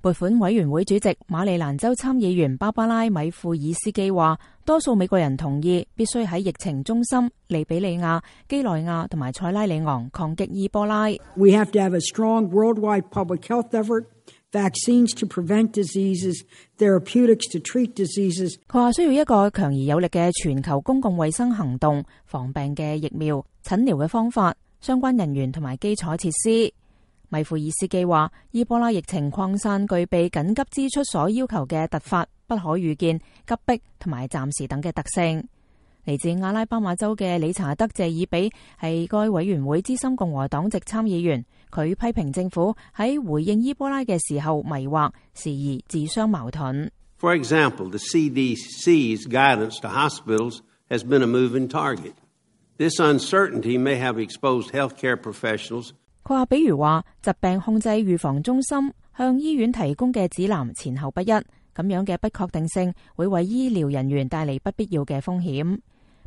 撥款委員會主席馬里蘭州參議員芭芭拉·米庫爾斯基話，多數美國人同意必須喺疫情中心利比里亞、幾內亞同埋塞拉利昂抗擊伊波拉。We have to have a strong worldwide public health effort, vaccines to prevent diseases, therapeutics to treat diseases. 佢話需要一個強而有力嘅全球公共衛生行動，防病嘅疫苗、診療嘅方法、相關人員同埋基礎設施。米庫爾斯基話，伊波拉疫情擴散具備緊急支出所要求嘅突發、不可預見、急迫同埋暫時等嘅特性。嚟自阿拉巴馬州嘅理查德謝爾比係該委員會資深共和黨籍參議員，佢批評政府喺回應伊波拉嘅時候迷惑，時而自相矛盾。For example, the CDC's guidance to hospitals has been a moving target. This uncertainty may have exposed healthcare professionals. 佢話，比如話疾病控制預防中心向醫院提供嘅指南前後不一，咁樣嘅不確定性會為醫療人員帶嚟不必要嘅風險。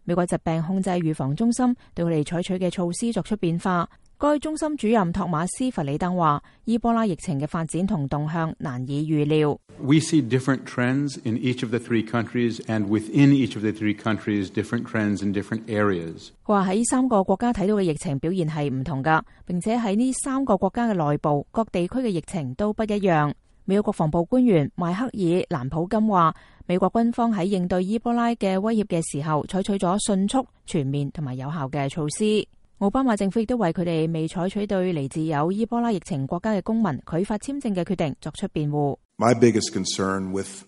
美國疾病控制預防中心對佢哋採取嘅措施作出變化。該中心主任托馬斯·弗里登話，伊波拉疫情嘅發展同動向難以預料。We see different trends in each of the three countries, and within each of the three countries, different trends in different areas. 佢話喺3個國家睇到嘅疫情表現係唔同㗎，並且喺呢3個國家嘅內部各地區嘅疫情都不一樣。美國國防部官員邁克爾·蘭普金話，美國軍方喺應對伊波拉嘅威脅嘅時候，採取咗迅速、全面同埋有效嘅措施。奧巴馬政府亦都為佢哋未採取對嚟自有伊波拉疫情國家嘅公民拒發簽證嘅決定作出辯護。My biggest concern with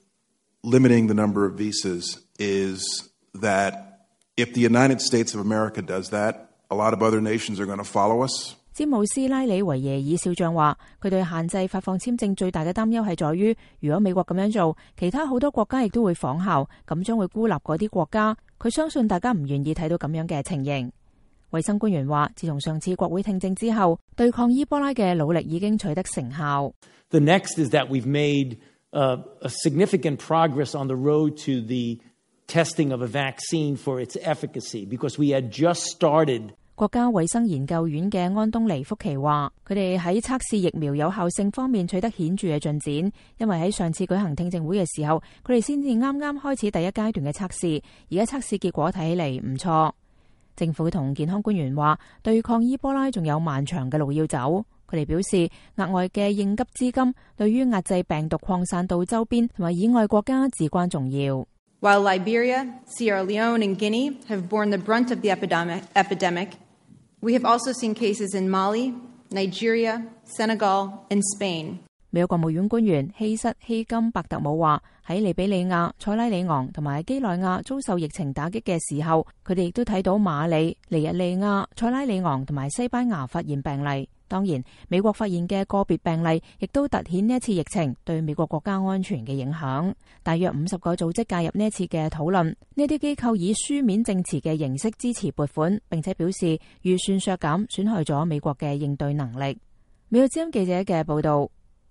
limiting the number of visas is that if the United States of America does that, a lot of other nations are going to follow us. 詹姆斯·拉里維耶爾少將話，佢對限制發放簽證最大嘅擔憂係在於，如果美國咁樣做，其他好多國家亦都會仿效，咁將會孤立嗰啲國家。佢相信大家唔願意睇到咁樣嘅情形。衛生官員話，自從上次國會聽證之後，對抗伊波拉嘅努力已經取得成效。The next is that we've made a significant progress on the road to the testing of a vaccine for its efficacy, because we had just started. 國家衛生研究院嘅安東尼福奇話，佢哋喺測試疫苗有效性方面取得顯著嘅進展，因為喺上次舉行聽證會嘅時候，佢哋先至啱啱開始第一階段嘅測試，而家測試結果睇起嚟唔錯。政府同健康官員話，對抗伊波拉仲有漫長嘅路要走。佢哋表示，額外嘅應急資金對於壓制病毒擴散到周邊同埋以外國家至關重要。While Liberia, Sierra Leone and Guinea have borne the brunt of the epidemic, we have also seen cases in Mali, Nigeria, Senegal and Spain. 美國國務院官員希瑟希金伯特姆話，喺利比里亞、塞拉里昂同埋基內亞遭受疫情打擊嘅時候，佢哋亦都睇到馬里、尼日利亞、塞拉里昂同埋西班牙發現病例。當然，美國發現嘅個別病例亦都凸顯呢一次疫情對美國國家安全嘅影響。大約50個組織介入呢一次嘅討論，呢啲機構以書面證詞嘅形式支持撥款，並且表示預算削減損害咗美國嘅應對能力。美國之音記者嘅報道。